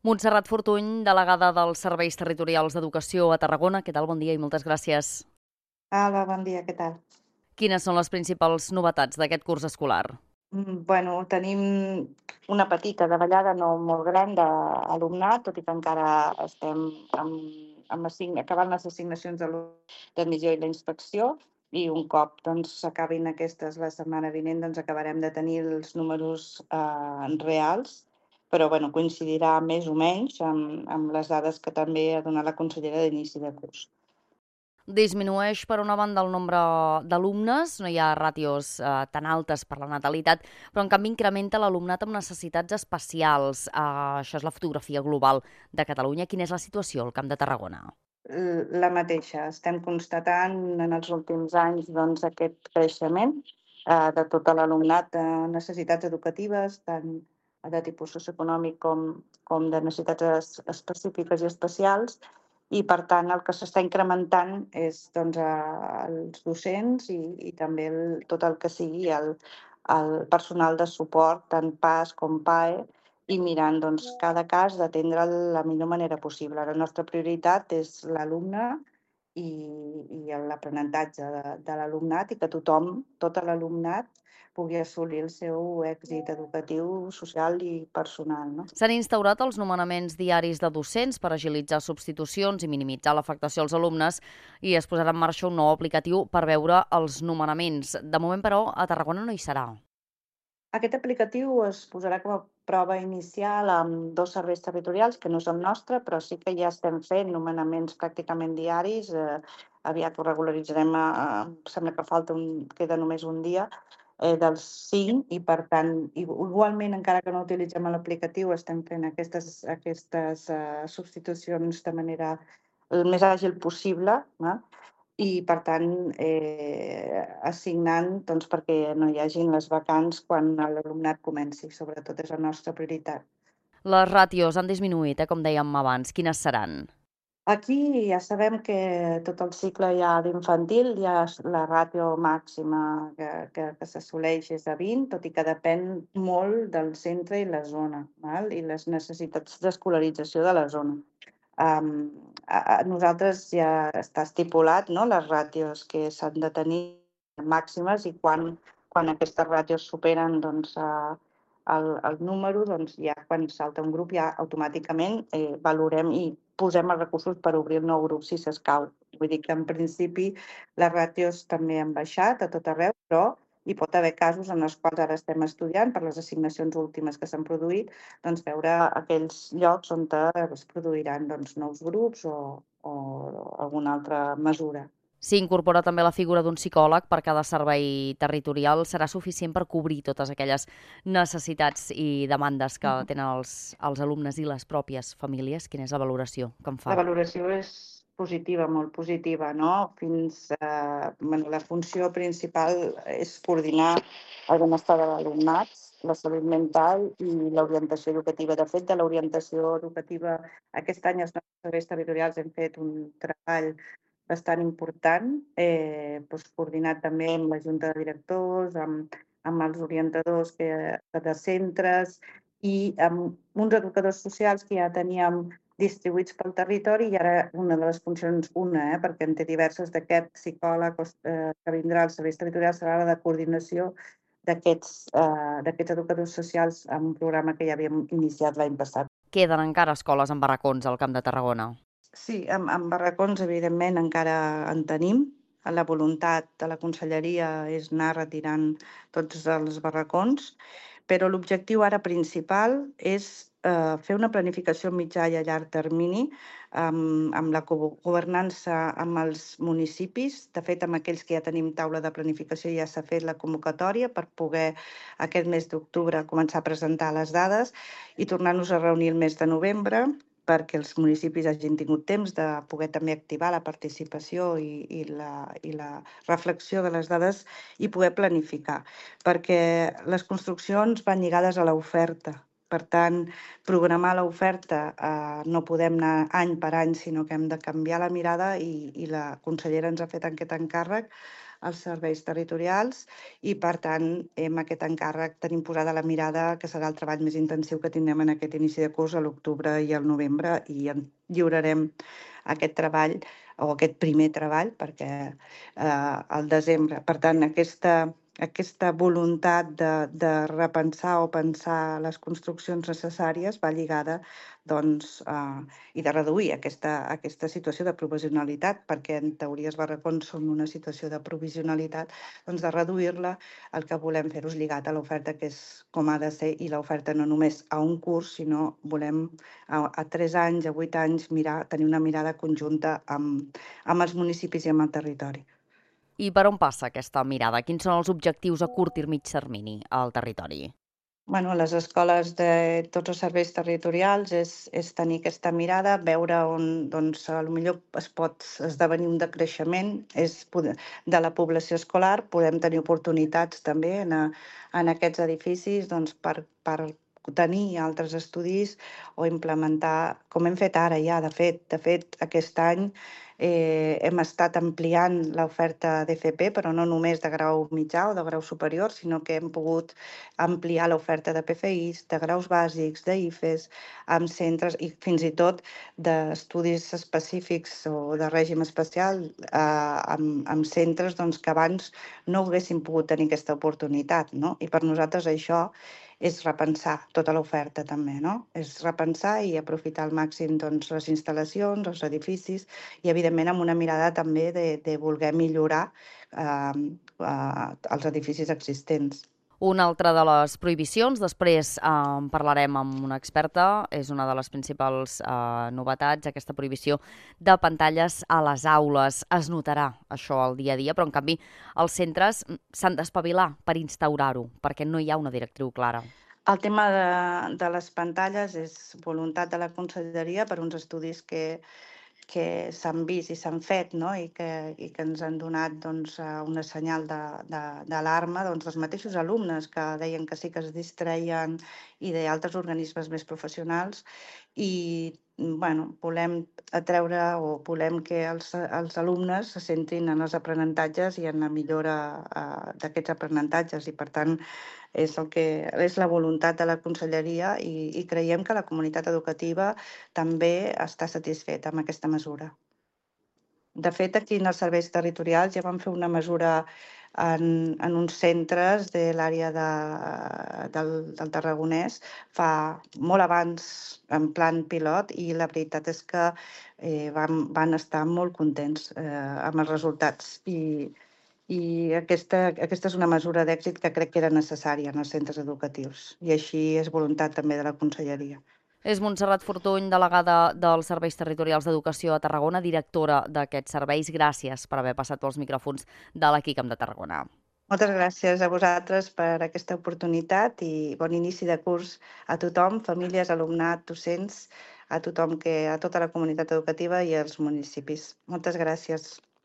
Montserrat Fortuny, delegada dels Serveis Territorials d'Educació a Tarragona. Què tal? Bon dia i moltes gràcies. Hola, bon dia, què tal? Quines són les principals novetats d'aquest curs escolar? Bueno, tenim una petita davallada, no molt gran, d'alumnat, tot i que encara estem acabant les assignacions d'admissió i la inspecció, i un cop s'acabin aquestes la setmana vinent, acabarem de tenir els números reals, però bueno, coincidirà més o menys amb les dades que també ha donat la consellera d'inici de curs. Disminueix, per una banda, el nombre d'alumnes, no hi ha ràtios tan altes per la natalitat, però en canvi incrementa l'alumnat amb necessitats especials. Això és la fotografia global de Catalunya. Quina és la situació al Camp de Tarragona? La mateixa. Estem constatant en els últims anys aquest creixement de tot l'alumnat de necessitats educatives, tant de tipus socioeconòmic com de necessitats específiques i especials, i per tant el que s'està incrementant és els docents i també tot el que sigui el personal de suport, tant PAS com PAE, i mirant cada cas d'atendre'l la millor manera possible. La nostra prioritat és l'alumne i l'aprenentatge de l'alumnat i que tothom, tot l'alumnat, pugui assolir el seu èxit educatiu, social i personal, no? S'han instaurat els nomenaments diaris de docents per agilitzar substitucions i minimitzar l'afectació als alumnes i es posarà en marxa un nou aplicatiu per veure els nomenaments. De moment, però, a Tarragona no hi serà. Aquest aplicatiu es posarà com a prova inicial amb 2 serveis territorials, que no són nostres, però sí que ja estem fent nomenaments pràcticament diaris. Aviat ho regularitzarem, sembla que queda només un dia, dels 5, i per tant, igualment, encara que no utilitzem l'aplicatiu, estem fent aquestes substitucions de manera el més àgil possible, val? I, per tant, assignant perquè no hi hagin les vacants quan l'alumnat comenci. Sobretot és la nostra prioritat. Les ràtios han disminuït, com dèiem abans. Quines seran? Aquí ja sabem que tot el cicle ja d'infantil ja la ràtio màxima que s'assoleix és de 20, tot i que depèn molt del centre i la zona, val? I les necessitats d'escolarització de la zona. Nosaltres ja està estipulat, no?, les ràtios que s'han de tenir màximes, i quan aquestes ràtios superen el número, ja quan salta un grup ja automàticament valorem i posem els recursos per obrir el nou grup si s'escau. Vull dir que en principi les ràtios també han baixat a tot arreu, però hi pot haver casos en els quals ara estem estudiant per les assignacions últimes que s'han produït, veure aquells llocs on es produiran nous grups o alguna altra mesura. S'hi incorpora també la figura d'un psicòleg per cada servei territorial. Serà suficient per cobrir totes aquelles necessitats i demandes que tenen els alumnes i les pròpies famílies? Quina és la valoració que en La fa? valoració és positiva, molt positiva, no? La funció principal és coordinar el benestar de l'alumnat, la salut mental i l'orientació educativa. De fet, de l'orientació educativa, aquest any els nostres serveis territorials hem fet un treball bastant important, coordinat també amb la Junta de Directors, amb els orientadors de centres i amb uns educadors socials que ja teníem distribuïts pel territori, i ara una de les funcions, perquè en té diverses, d'aquest psicòleg que vindrà als serveis territorials, serà la de coordinació d'aquests educadors socials amb un programa que ja havíem iniciat l'any passat. Queden encara escoles amb barracons al Camp de Tarragona. Sí, amb barracons, evidentment, encara en tenim. La voluntat de la conselleria és anar retirant tots els barracons, però l'objectiu ara principal és fer una planificació a mitjà i a llarg termini amb la governança amb els municipis. De fet, amb aquells que ja tenim taula de planificació ja s'ha fet la convocatòria per poder aquest mes d'octubre començar a presentar les dades i tornar-nos a reunir el mes de novembre, perquè els municipis hagin tingut temps de poder també activar la participació i la reflexió de les dades i poder planificar, perquè les construccions van lligades a l'oferta. Per tant, programar l'oferta no podem anar any per any, sinó que hem de canviar la mirada, i la consellera ens ha fet aquest encàrrec als serveis territorials i, per tant, amb aquest encàrrec tenim posada la mirada, que serà el treball més intensiu que tindrem en aquest inici de curs a l'octubre i al novembre, i en lliurarem aquest treball o aquest primer treball perquè al desembre. Per tant, aquesta voluntat de repensar o pensar les construccions necessàries va lligada doncs, i de reduir aquesta situació de provisionalitat, perquè en teoria els barracons són una situació de provisionalitat, doncs de reduir-la. El que volem fer-ho és lligat a l'oferta, que és com ha de ser, i l'oferta no només a un curs, sinó volem a 3 anys, a 8 anys, tenir una mirada conjunta amb els municipis i amb el territori. I per on passa aquesta mirada? Quins són els objectius a curt i mig termini al territori? Bueno, les escoles de tots els serveis territorials és tenir aquesta mirada, veure on doncs, potser es pot esdevenir un decreixement de la població escolar. Podem tenir oportunitats també en aquests edificis doncs, per tenir altres estudis o implementar, com hem fet ara ja, de fet aquest any hem estat ampliant l'oferta d'FP, però no només de grau mitjà o de grau superior, sinó que hem pogut ampliar l'oferta de PFIs, de graus bàsics, d'IFES, amb centres i fins i tot d'estudis específics o de règim especial amb centres doncs, que abans no haguessin pogut tenir aquesta oportunitat, no? I per nosaltres això és repensar tota l'oferta també, no? És repensar i aprofitar al màxim doncs, les instal·lacions, els edificis i, evidentment, amb una mirada també de voler millorar els edificis existents. Una altra de les prohibicions, després en parlarem amb una experta, és una de les principals novetats, aquesta prohibició de pantalles a les aules. Es notarà això al dia a dia, però en canvi els centres s'han d'espavilar per instaurar-ho, perquè no hi ha una directriu clara. El tema de les pantalles és voluntat de la conselleria per uns estudis que s'han vist i s'han fet, no? I que ens han donat doncs, una senyal d'alarma doncs, els mateixos alumnes que deien que sí que es distreien i d'altres organismes més professionals i volem atreure o volem que els alumnes se centrin en els aprenentatges i en la millora d'aquests aprenentatges i, per tant, és la voluntat de la conselleria i creiem que la comunitat educativa també està satisfeta amb aquesta mesura. De fet, aquí en els serveis territorials ja vam fer una mesura en uns centres de l'àrea del Tarragonès molt abans, en plan pilot, i la veritat és que van estar molt contents amb els resultats. I aquesta és una mesura d'èxit que crec que era necessària en els centres educatius. I així és voluntat també de la conselleria. És Montserrat Fortuny, delegada dels Serveis Territorials d'Educació a Tarragona, directora d'aquests serveis. Gràcies per haver passat pels micròfons de l'Equicam de Tarragona. Moltes gràcies a vosaltres per aquesta oportunitat i bon inici de curs a tothom, famílies, alumnat, docents, a tothom, a tota la comunitat educativa i als municipis. Moltes gràcies.